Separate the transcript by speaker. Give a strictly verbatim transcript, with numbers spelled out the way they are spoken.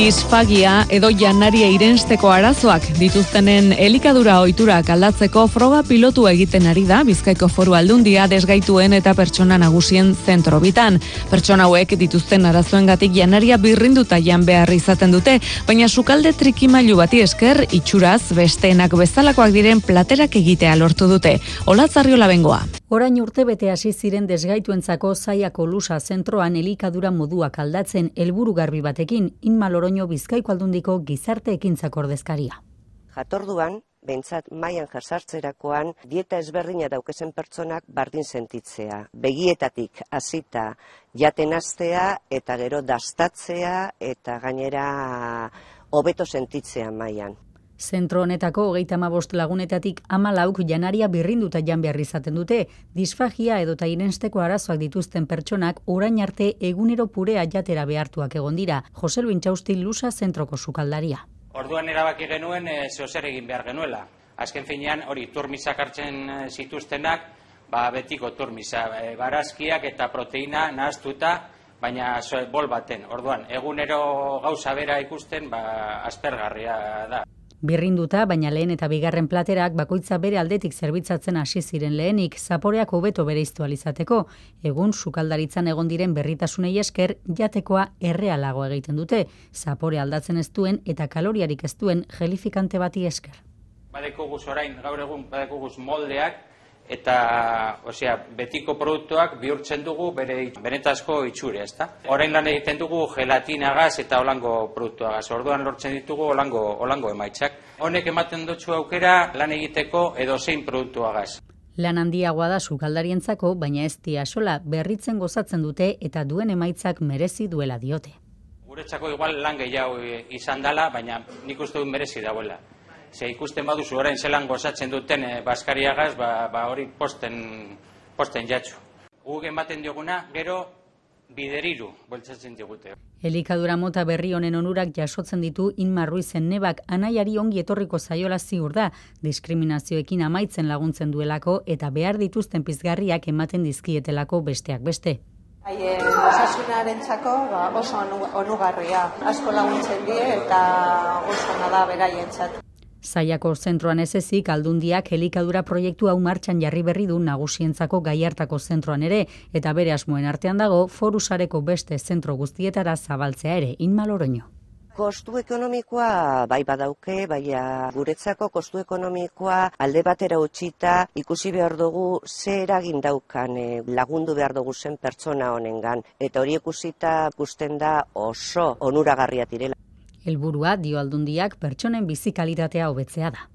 Speaker 1: Disfagia edo janaria irensteko arazoak dituztenen elikadura ohiturak aldatzeko froga pilotu egiten ari da Bizkaiko Foru Aldundia desgaituen eta pertsona nagusien zentro bitan. Pertsona hauek dituzten arazoengatik janaria birrinduta jan behar izaten dute, baina sukalde trikimailu bati esker itxuraz besteenak bezalakoak diren platerak egitea lortu dute. Olatzarriola bengoa.
Speaker 2: Orain urtebete hasi ziren desgaituentzako Zaiako Lusa zentroan elikadura moduak aldatzen helburu garbi batekin, Inma Loroño Bizkaiko Aldundiko gizarte ekintzak ordezkaria.
Speaker 3: Jatorduan, behintzat mailan jasartzerakoan, dieta ezberdina daukezen pertsonak bardin sentitzea. Begietatik hasita jaten hastea eta gero dastatzea eta gainera hobeto sentitzea mailan.
Speaker 2: Zentro honetako hogeita hamabost lagunetatik hamalauk janaria birrinduta jan behar izaten dute, disfagia edota irensteko arazoak dituzten pertsonak orain arte egunero purea jatera behartuak egon dira. Jose Luis Intxausti Lusa zentroko sukaldaria.
Speaker 4: Orduan erabaki genuen e, zeozer egin behar genuela. Azken finean hori turmisak hartzen zituztenak, ba, betiko turmisa, e, barazkiak eta proteina nahaztuta, baina bol baten. Orduan, egunero gauza bera ikusten, ba, aspergarria da.
Speaker 2: Birrinduta, baina lehen eta bigarren platerak bakoitza bere aldetik zerbitzatzen hasi ziren lehenik, zaporeak hobeto bereiztu alizateko. Egun sukaldaritzan egon diren berritasunei esker jatekoa errealago egiten dute, zapore aldatzen ez duen eta kaloriarik ez duen gelifikante bati esker.
Speaker 4: Badekoguz orain, gaur egun badekoguz moldeak eta, osea, betiko produktuak bihurtzen dugu bere benetazko itxure, ezta? Orain lan egiten dugu gelatinagaz eta holango produktuagaz. Orduan lortzen ditugu holango holango emaitzak. Honek ematen dutxu aukera lan egiteko edozein produktuagaz.
Speaker 2: Lan handiagoa da sukaldarientzako, baina ez dia sola berritzen gozatzen dute eta duen emaitzak merezi duela diote.
Speaker 4: Guretzako igual lan gehiago izan dela, baina nik uste dut merezi dauela. Ze ikusten baduzu orain zelan gozatzen duten e, baskariagaz, ba, ba hori posten, posten jatxu. Guk ematen dioguna, gero bideriru boltsatzen digute.
Speaker 2: Elikadura mota berri honen onurak jasotzen ditu Inma Ruizen nebak anaiari ongi etorriko zaiola ziur da, diskriminazioekin amaitzen laguntzen duelako eta behar dituzten pizgarriak ematen dizkietelako besteak beste.
Speaker 5: Haien osasunarentzako ba, oso onugarria, asko laguntzen die eta oso ona da beraientzat.
Speaker 2: Zaiako zentroan ez ezik, Aldundiak elikadura proiektu hau martxan jarri berri du nagusientzako Gaiartako zentroan ere, eta bere asmoen artean dago Foru Sareko beste zentro guztietara zabaltzea ere, Inma Loroño.
Speaker 3: Kostu ekonomikoa bai badauke, baina guretzako kostu ekonomikoa alde batera utzita ikusi behar dugu ze eragin daukan e, lagundu behar dugu zen pertsona honengan, eta hori ikusita ikusten da oso onuragarria direla.
Speaker 2: Helburua, dio Aldundiak, pertsonen bizi kalitatea hobetzea da.